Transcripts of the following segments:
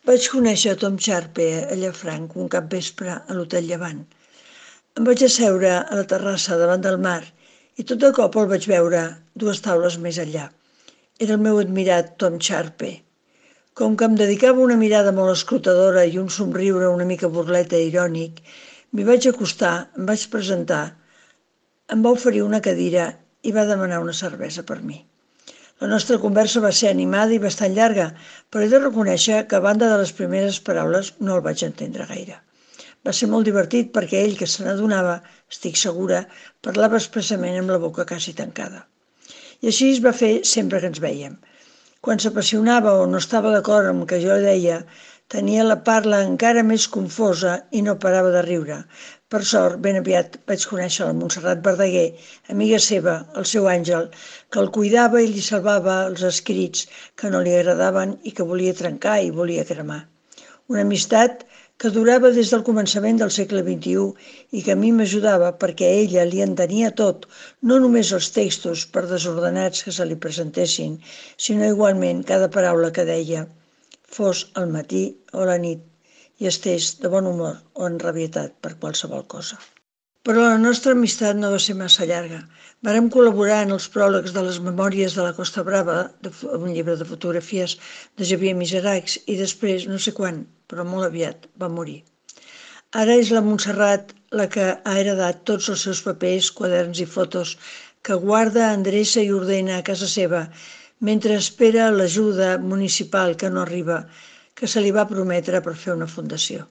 Vaig conèixer Tom Sharpe a Llafranc un capvespre a l'Hotel Llevant. Em vaig asseure a la terrassa davant del mar i tot de cop el vaig veure 2 taules més enllà. Era el meu admirat Tom Sharpe. Com que em dedicava una mirada molt escrutadora i un somriure una mica burleta i irònic, m'hi vaig acostar, em vaig presentar, em va oferir una cadira i va demanar una cervesa per mi. La nostra conversa va ser animada i bastant llarga, però he de reconèixer que a banda de les primeres paraules no el vaig entendre gaire. Va ser molt divertit perquè ell, que se n'adonava, estic segura, parlava expressament amb la boca quasi tancada. I així es va fer sempre que ens vèiem. Quan s'apassionava o no estava d'acord amb el que jo deia, tenia la parla encara més confosa i no parava de riure. Per sort, ben aviat vaig conèixer la Montserrat Verdaguer, amiga seva, el seu àngel, que el cuidava i li salvava els escrits que no li agradaven i que volia trencar i volia cremar. Una amistat que durava des del començament del segle XXI i que a mi m'ajudava perquè a ella li entenia tot, no només els textos per desordenats que se li presentessin, sinó igualment cada paraula que deia, fos al matí o a la nit, i estés de bon humor o enrabietat per qualsevol cosa. Però la nostra amistat no va ser massa llarga. Vàrem col·laborar en els pròlegs de les Memòries de la Costa Brava, un llibre de fotografies de Xavier Miseracs, i després, no sé quan, però molt aviat, va morir. Ara és la Montserrat la que ha heredat tots els seus papers, quaderns i fotos que guarda, endreça i ordena a casa seva, mentre espera l'ajuda municipal que no arriba, que se li va prometre per fer una fundació.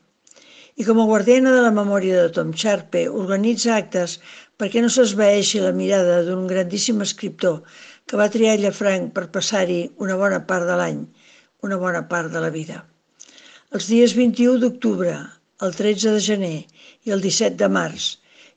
I com a guardiana de la memòria de Tom Sharpe, organitza actes perquè no s'esvaeixi la mirada d'un grandíssim escriptor que va triar Llafranc per passar-hi una bona part de l'any, una bona part de la vida. Els dies 21 d'octubre, el 13 de gener i el 17 de març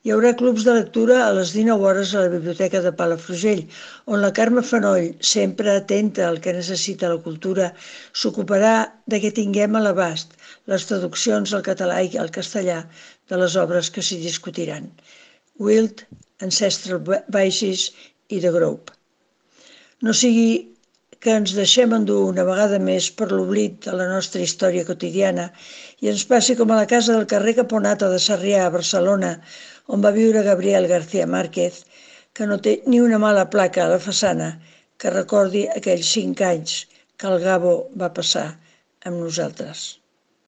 hi haurà clubs de lectura a les 19 hores a la Biblioteca de Palafrugell, on la Carme Fanoll, sempre atenta al que necessita la cultura, s'ocuparà de que tinguem a l'abast les traduccions al català i al castellà de les obres que s'hi discutiran. Wild, Ancestral Vices i The Group. No sigui que ens deixem endur una vegada més per l'oblit de la nostra història quotidiana i ens passi com a la casa del carrer Caponata de Sarrià a Barcelona, on va viure Gabriel García Márquez, que no té ni una mala placa a la façana que recordi aquells 5 anys que el Gabo va passar amb nosaltres.